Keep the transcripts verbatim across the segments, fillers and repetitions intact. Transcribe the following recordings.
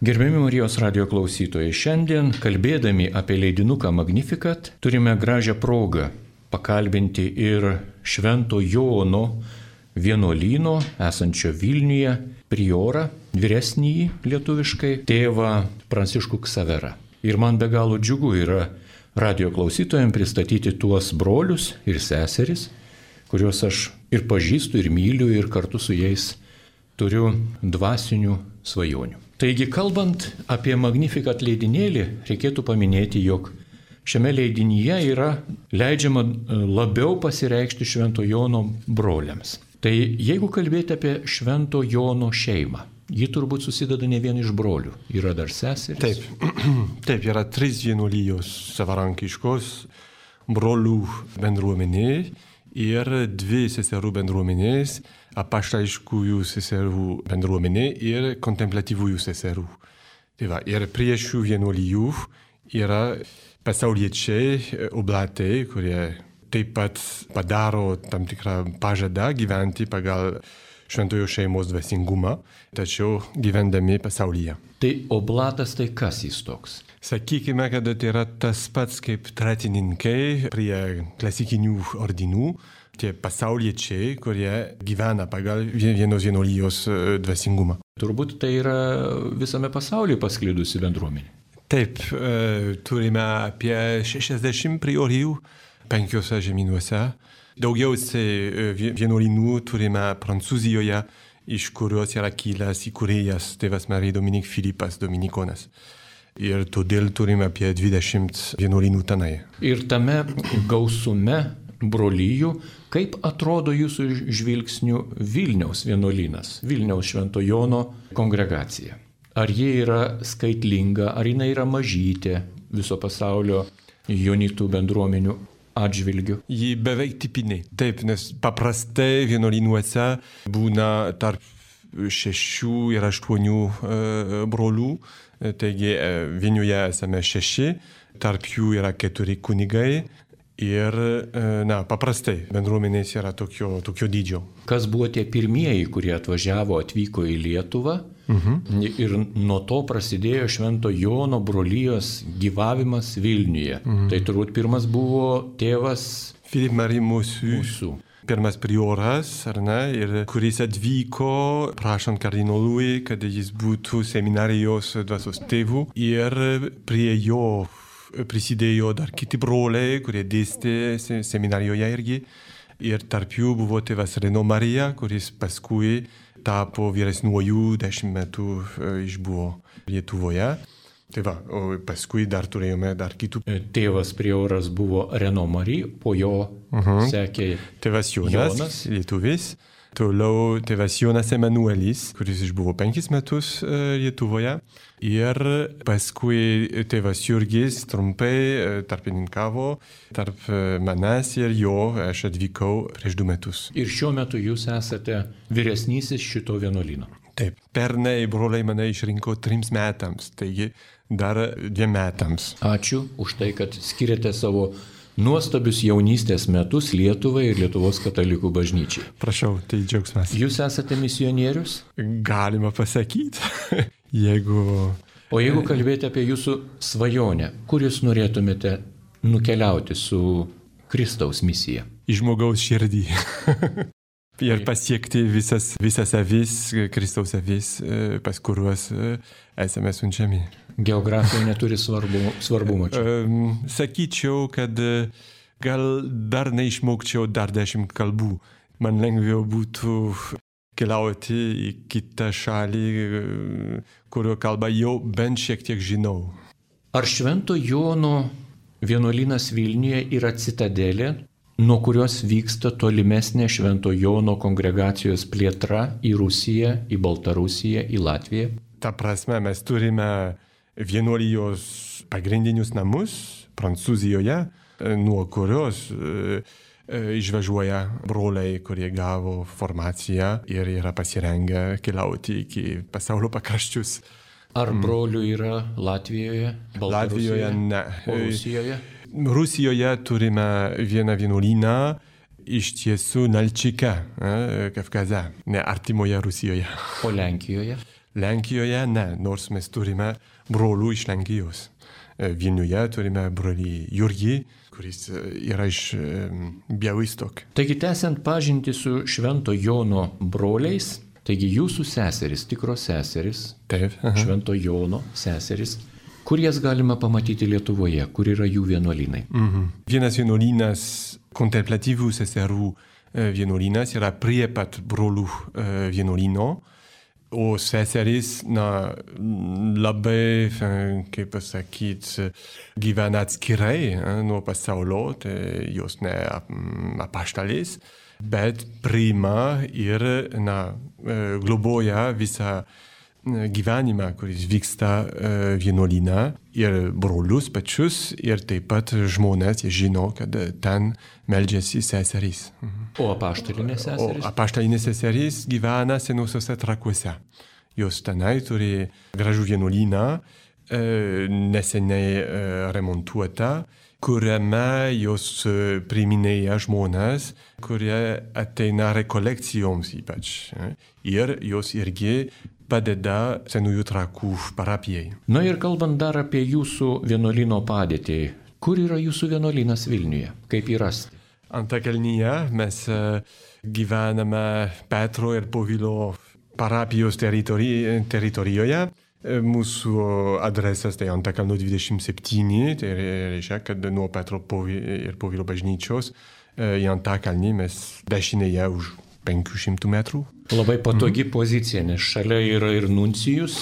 Gerbiami Marijos radio klausytojai, šiandien kalbėdami apie leidinuką Magnificat turime gražią progą pakalbinti ir Švento Jono vienuolyno esančio Vilniuje priorą, vyresnįjį lietuviškai, tėvą Pranciškų Ksaverą. Ir man be galo džiugu yra radio klausytojams pristatyti tuos brolius ir seseris, kuriuos aš ir pažįstu, ir myliu, ir kartu su jais turiu dvasinių svajonių. Taigi, kalbant apie Magnificat leidinėlį, reikėtų paminėti, jog šiame leidinyje yra leidžiama labiau pasireikšti Švento Jono broliams. Tai jeigu kalbėti apie Švento Jono šeimą, ji turbūt susideda ne vien iš brolių, yra dar seserys. Taip, taip yra trys vienuolijos savarankiškos brolių bendruomenė ir dvi seserų bendruomenės, apaštališkųjų seserų bendruomenė ir kontemplatyvųjų seserų. Tai va, ir prie šių vienuolijų yra pasauliečiai, oblatai, kurie taip pat padaro tam tikrą pažadą gyventi pagal šventojo šeimos dvasingumą, tačiau gyvendami pasaulyje. Tai oblatas tai kas jis toks? Sakykime, kad tai yra tas pats kaip tretininkai prie klasikinių ordinų, tie pasauliečiai, kurie gyvena pagal vienos vienuolijos dvasingumą. Turbūt tai yra visame pasaulyje pasklidusi bendruomenė. Taip, turime apie šešiasdešimt priorijų penkiuose žemynuose. Daugiausiai vienuolynų turime Prancūzijoje, iš kurios yra kilęs įkūrėjas tėvas Marija Dominik Filipas Dominikonas. Ir todėl turime apie dvidešimt vienuolynų tenai. Ir tame gausume brolyjų, kaip atrodo jūsų žvilgsnių Vilniaus vienuolynas, Vilniaus Švento Jono kongregacija? Ar ji yra skaitlinga, ar jinai yra mažytė viso pasaulio jonitų bendruomenių atžvilgių? Ji beveik tipinė. Taip, nes paprastai vienuolynuose būna tarp šešių ir aštuonių e, brolių. Taigi Vilniuje esame šeši, tarp jų yra keturi kunigai ir, na, paprastai bendruomenės yra tokio, tokio dydžio. Kas buvo tie pirmieji, kurie atvažiavo, atvyko į Lietuvą? Mhm. Ir nuo to prasidėjo Švento Jono brolijos gyvavimas Vilniuje. Mhm. Tai turbūt pirmas buvo tėvas Philippe Marie Mossus. Pirmas prioras, ar ne, ir kuris atvyko prašant kardinolui, kad jis būtų seminarijos dvasios tėvų. Ir prie jo prisidėjo dar kiti broliai, kurie dėstė seminarijoje irgi. Ir tarp jų buvo tėvas Reno Marija, kuris paskui tapo vyresniuoju, dešimt metų išbuvo Lietuvoje. Tai va, o paskui dar turėjome dar kitų. Tėvas prioras buvo Reno Marija, po jo uh-huh. sekė tėvas Jonas, Jonas. Lietuvis. Toliau tėvas Jonas Emanuelis, kuris išbuvo penkis metus Lietuvoje. Ir paskui tėvas Jurgis trumpai tarpininkavo tarp manęs ir jo, aš atvykau prieš du metus. Ir šiuo metu jūs esate vyresnysis šito vienuolyno. Taip, pernai broliai mane išrinko trims metams, taigi dar dviem metams. Ačiū už tai, kad skiriate savo nuostabius jaunystės metus Lietuvai ir Lietuvos katalikų bažnyčiai. Prašau, tai džiaugsmas. Jūs esate misionierius? Galima pasakyti, jeigu... O jeigu kalbėti apie jūsų svajonę, kur jūs norėtumėte nukeliauti su Kristaus misija? Į žmogaus širdį. Ir pasiekti visas, visas avis, Kristaus avis, pas kuriuos esame siunčiami. Geografija neturi svarbu, svarbumo čia. Sakyčiau, kad gal dar neišmokčiau dar dešimt kalbų. Man lengviau būtų keliauti į kitą šalį, kurio kalbą jau bent šiek tiek žinau. Ar Švento Jono vienuolynas Vilniuje yra citadelė, nuo kurios vyksta tolimesnė Švento Jono kongregacijos plėtra į Rusiją, į Baltarusiją, į Latviją? Ta prasme, mes turime vienuolijos pagrindinius namus Prancūzijoje, nuo kurios e, e, išvažiuoja broliai, kurie gavo formaciją ir yra pasirengę keliauti iki pasaulio pakraščius. Ar brolių yra Latvijoje, Baltarusijoje, Latvijoje, ne. Rusijoje? Rusijoje turime vieną vienuolyną, iš tiesų Nalčike, Kavkaze, ne artimoje Rusijoje. O Lenkijoje? Lenkijoje ne, nors mes turime brolių iš Lenkijos. Vilniuje turime brolį Jurgį, kuris yra iš Białystok. Taigi, tęsiant pažintį su Švento Jono broliais, taigi jūsų seserys, tikros seserys, Taip. Švento Jono seserys, kur jas galima pamatyti Lietuvoje, kur yra jų vienuolynai? Mhm. Vienas vienuolynas, kontemplatyvų seserų vienuolynas, yra prie pat brolių vienuolyno, o seserys, na, labai, kaip pasakyti, gyvena atskirai nuo pasaulio, tai jos ne apaštalės, bet priima ir, na, globoja visą gyvenimą, kuris vyksta vienuolyne, ir brolius pačius, ir taip pat žmonės, jie žino, kad ten meldžiasi seserys. O apaštalinės seserys? O apaštalinės seserys gyvena Senuosiuose Trakuose. Jos tenai turi gražų vienuolyną, neseniai remontuotą, kuriame jos priiminėja žmonės, kurie ateina rekolekcijoms ypač. Ir jos irgi padeda Senųjų Trakų parapijai. Na ir kalbant dar apie jūsų vienuolyno padėtį, kur yra jūsų vienuolynas Vilniuje? Kaip jį rasti? Antakalnyje mes gyvename Petro ir Povilo parapijos teritori- teritorijoje. Mūsų adresas tai Antakalnio dvidešimt septyni, tai reiškia, kad nuo Petro ir Povilo bažnyčios į Antakalnį mes dešinėje už penkių šimtų metrų. Labai patogi mm. pozicija, nes šalia yra ir nuncijus,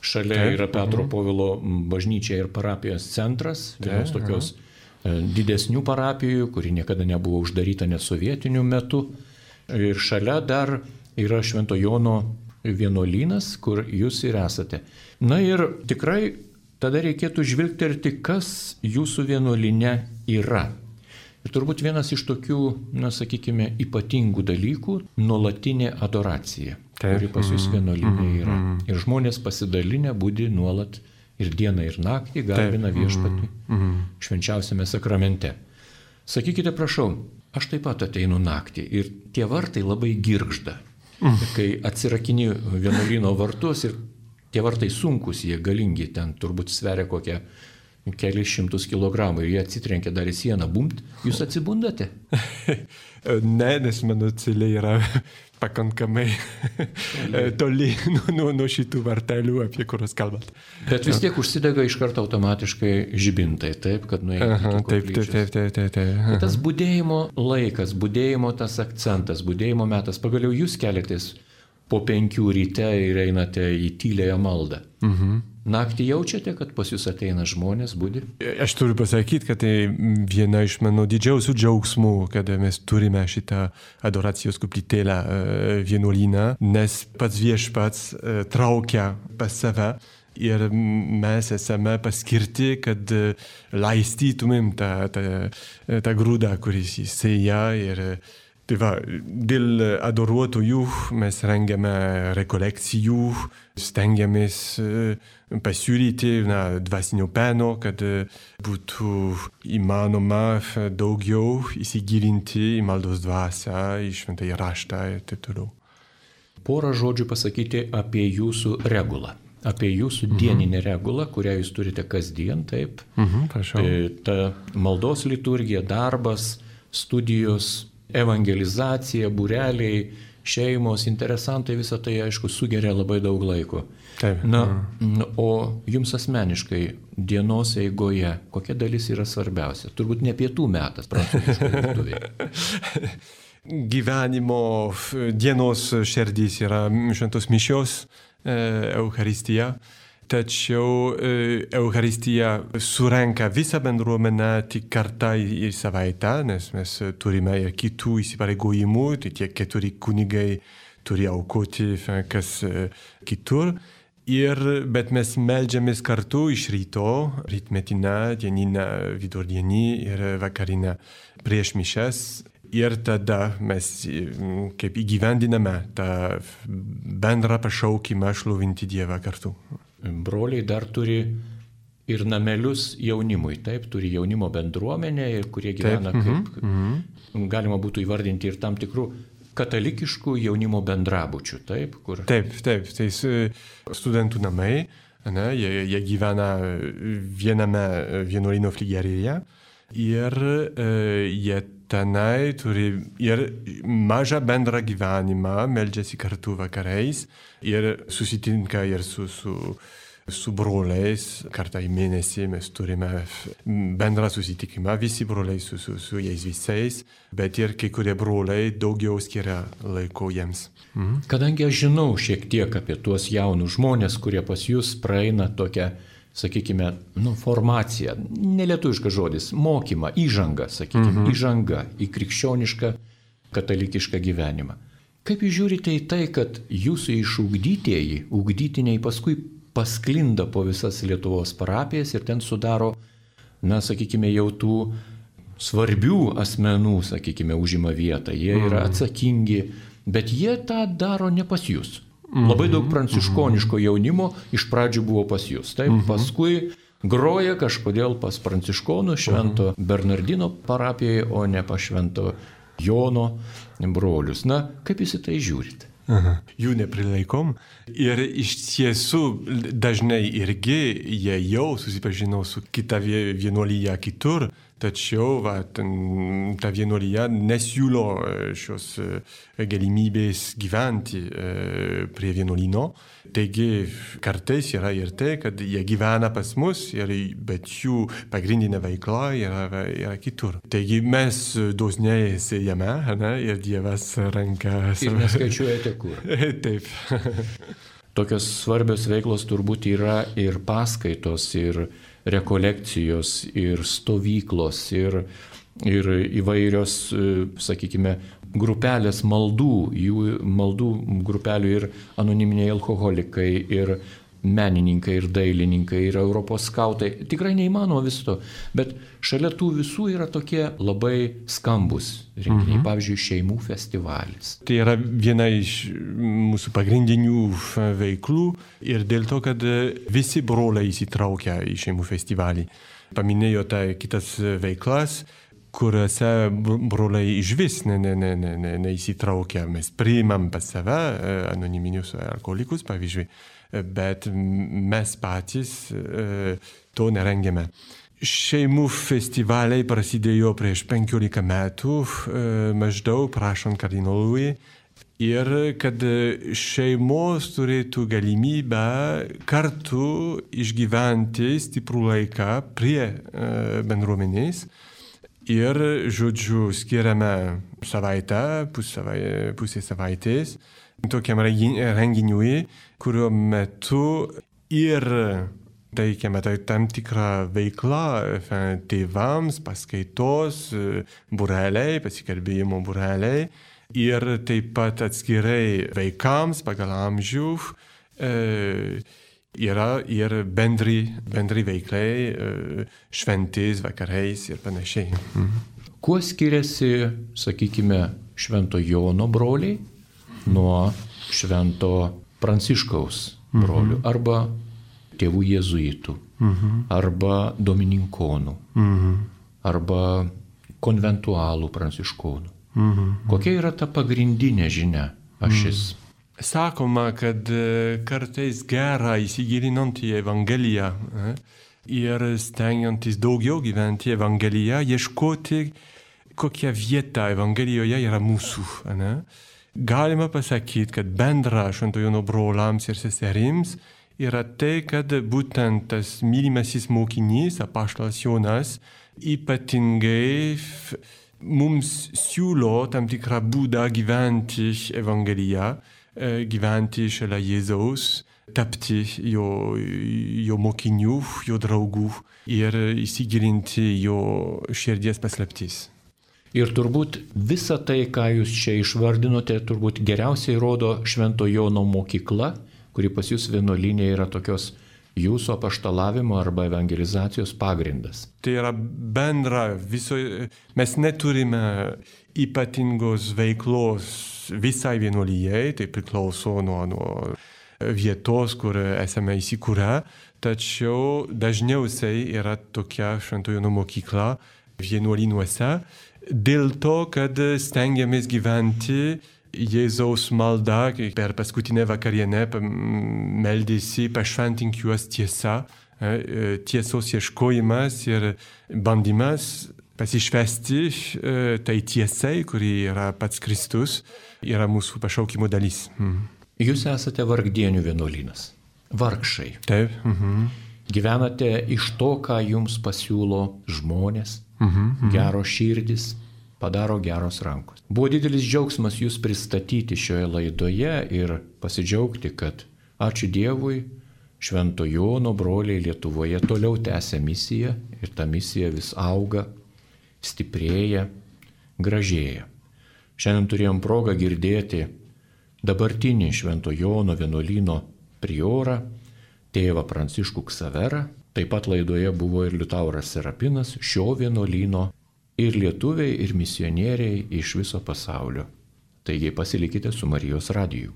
šalia Taip. Yra Petro mm. Povilo bažnyčia ir parapijos centras, vienos Taip. Tokios mm. didesnių parapijų, kuri niekada nebuvo uždaryta net sovietiniu metu. Ir šalia dar yra Švento Jono vienuolynas, kur jūs ir esate. Na ir tikrai tada reikėtų žvilgterti, kas jūsų vienuolyne yra. Ir turbūt vienas iš tokių, na, sakykime, ypatingų dalykų – nuolatinė adoracija, Taip. Kuri pas jūs vienuolyne yra. Ir žmonės pasidalinę budi nuolat ir dieną, ir naktį garbina viešpatį švenčiausiame sakramente. Sakykite, prašau, aš taip pat ateinu naktį ir tie vartai labai girgžda. Kai atsirakini vienuolyno vartus ir tie vartai sunkus, jie galingi, ten turbūt sveria kokią kelius šimtus kilogramų ir jie atsitrenkia dar į sieną, bumt, jūs atsibundate? Ne, nes mano celė yra pakankamai toli nuo, nuo, nuo šitų vartelių, apie kuriuos kalbat. Bet vis tiek užsidega iš karto automatiškai žibintai, taip, kad nuėjate iki koplyčios. Taip, taip, taip, taip. Bet tas budėjimo laikas, budėjimo tas akcentas, budėjimo metas, pagaliau jūs keliatės po penkių ryte ir einate į tyliąją maldą. Mhm. Naktį jaučiate, kad pas jūs ateina žmonės, budi? Aš turiu pasakyti, kad tai viena iš mano didžiausių džiaugsmų, kad mes turime šitą adoracijos koplytėlę vienuolyną, nes pats viešpats traukia pas save ir mes esame paskirti, kad laistytumėm tą, tą, tą grūdą, kuris įsėja. Ir tai va, dėl adoruotojų mes rengiame rekolekcijų, stengiamės pasiūlyti na, dvasinio peno, kad būtų įmanoma daugiau įsigilinti į maldos dvasią, į šventąjį raštą ir taip toliau. Porą žodžių pasakyti apie jūsų regulą. Apie jūsų mhm. dieninę regulą, kurią jūs turite kasdien, taip. Mhm, prašau. Ta maldos liturgija, darbas, studijos, evangelizacija, būreliai, šeimos, interesantai, visą tai, aišku, sugeria labai daug laiko. Taip. Na, o jums asmeniškai dienos eigoje, kokia dalis yra svarbiausia? Turbūt ne pietų metas, prancūziškai virtuvėje. Gyvenimo dienos šerdys yra šventos mišios, Eucharistija. Tačiau Eucharistija surenka visą bendruomenę tik kartą į savaitę, nes mes turime ir kitų įsipareigojimų, tai tie keturi kunigai turi aukoti kas kitur. Ir, bet mes meldžiamės kartu iš ryto, rytmetinę, dieninę, vidurdienį ir vakarinę prieš mišias. Ir tada mes kaip įgyvendiname tą bendrą pašaukimą šlovinti Dievą kartu. Broliai dar turi ir namelius jaunimui, taip, turi jaunimo bendruomenę, ir kurie gyvena taip, kaip, mm-hmm. galima būtų įvardinti ir tam tikrų katalikiškų jaunimo bendrabučių, taip? Kur... Taip, taip, tai studentų namai, ne, jie, jie gyvena viename vienuolyno fligerėje ir e, jie tenai turi ir mažą bendrą gyvenimą, meldžiasi kartu vakarais ir susitinka ir su, su, su broliais, kartą į mėnesį mes turime bendrą susitikimą, visi broliai su, su, su jais visais, bet ir kai kurie broliai daugiau skiria laiko jiems. Mhm. Kadangi aš žinau šiek tiek apie tuos jaunus žmonės, kurie pas jūs praeina tokią, sakykime, nu, formaciją, nelietuviškas žodis, mokymą, įžangą, sakykime, mhm. įžangą į krikščionišką, katalikišką gyvenimą. Kaip jūs žiūrite į tai, kad jūsų išugdytieji, ugdytiniai paskui pasklinda po visas Lietuvos parapijas ir ten sudaro, na, sakykime, jau tų svarbių asmenų, sakykime, užima vietą, jie yra atsakingi, bet jie tą daro ne pas jūs. Labai daug pranciškoniško jaunimo iš pradžių buvo pas jūs, taip, paskui groja kažkodėl pas pranciškonų Švento Bernardino parapijoje, o ne pas Švento Jono brolius. Na, kaip jūs į tai žiūrite? Aha. Jų neprilaikom ir iš tiesų dažnai irgi jie jau susipažino su kita vienuolyje kitur, tačiau va, ten, ta vienuolyje nesiūlo šios galimybės gyventi prie vienuolyno. Taigi kartais yra ir tai, kad jie gyvena pas mus, ir, bet jų pagrindinė veikla yra, yra kitur. Taigi mes dosniai sėjame, ne, ir Dievas ranka... Ir neskaičiuojate kur. Taip. Tokios svarbios veiklos turbūt yra ir paskaitos, ir rekolekcijos, ir stovyklos, ir, ir įvairios, sakykime, grupelės maldų, jų maldų grupelių ir anoniminiai alkoholikai, ir menininkai, ir dailininkai, ir Europos skautai. Tikrai neįmanoma viso to, bet šalia tų visų yra tokie labai skambus renginiai, mhm. pavyzdžiui, šeimų festivalis. Tai yra viena iš mūsų pagrindinių veiklų ir dėl to, kad visi broliai įsitraukia į šeimų festivalį. Paminėjote kitas veiklas, kuriuose broliai išvis ne, ne, ne, ne, ne, neįsitraukia. Mes priimam pas save anoniminius alkoholikus, pavyzdžiui, bet mes patys to nerengiame. Šeimų festivaliai prasidėjo prieš penkiolika metų, maždaug prašant kardinolui, ir kad šeimos turėtų galimybę kartu išgyventi stiprų laiką prie bendruomenės. Ir, žodžiu, skiriame savaitę, pusę savaitės tokiam renginiui, kurio metu ir teikiame tai tam tikrą veiklą tėvams, paskaitos, būreliai, pasikalbėjimo būreliai ir taip pat atskirai vaikams pagal amžių. E, Yra ir bendri, bendri veiklai, šventės, vakarais ir panašiai. Mhm. Kuo skiriasi, sakykime, Švento Jono broliai nuo Švento Pranciškaus brolių, mhm. arba tėvų jėzuitų, mhm. arba domininkonų, mhm. arba konventualų pranciškonų? Mhm. Kokia yra ta pagrindinė žinia, ašis? Mhm. Sakoma, kad kartais gera įsigilinant į Evangeliją ir stengiantis daugiau gyventi Evangeliją, ieškoti, kokia vieta Evangelijoje yra mūsų. Ne? Galima pasakyti, kad bendra Švento Jono broliams ir seserims yra tai, kad būtent tas mylimasis mokinys, apaštalas Jonas, ypatingai mums siūlo tam tikrą būdą gyventi Evangeliją, gyventi šalia Jėzaus, tapti jo, jo mokinių, jo draugų ir įsigilinti jo širdies paslaptis. Ir turbūt visa tai, ką jūs čia išvardinote, turbūt geriausiai rodo Švento Jono mokykla, kuri pas jūs vienuolyne yra tokios jūsų apaštalavimo arba evangelizacijos pagrindas. Tai yra bendra viso, mes neturime ypatingos veiklos visai vienuolijai, tai priklauso nuo, nuo vietos, kur esame įsikūrę, tačiau dažniausiai yra tokia Švento Jono mokykla vienuolynuose, dėl to, kad stengiamės gyventi Jėzaus malda, kai per paskutinę vakarienę meldėsi pašventink juos tiesa, tiesos ieškojimas ir bandymas pasišvesti tai tiesai, kuri yra pats Kristus, yra mūsų pašaukimo dalis. Mm. Jūs esate vargdienių vienuolynas, vargšai. Taip. Mhm. Gyvenate iš to, ką jums pasiūlo žmonės, Mhm. Mhm. geros širdis, padaro geros rankos. Buvo didelis džiaugsmas jūs pristatyti šioje laidoje ir pasidžiaugti, kad ačiū Dievui, Švento Jono broliai Lietuvoje toliau tęsia misiją ir ta misija vis auga, stiprėja, gražėja. Šiandien turėjom progą girdėti dabartinį Švento Jono vienuolyno priorą, tėvą Pranciškų Ksaverą. Taip pat laidoje buvo ir Liutauras Serapinas, šio vienuolyno ir lietuviai, ir misionieriai iš viso pasaulio. Taigi pasilikite su Marijos radiju.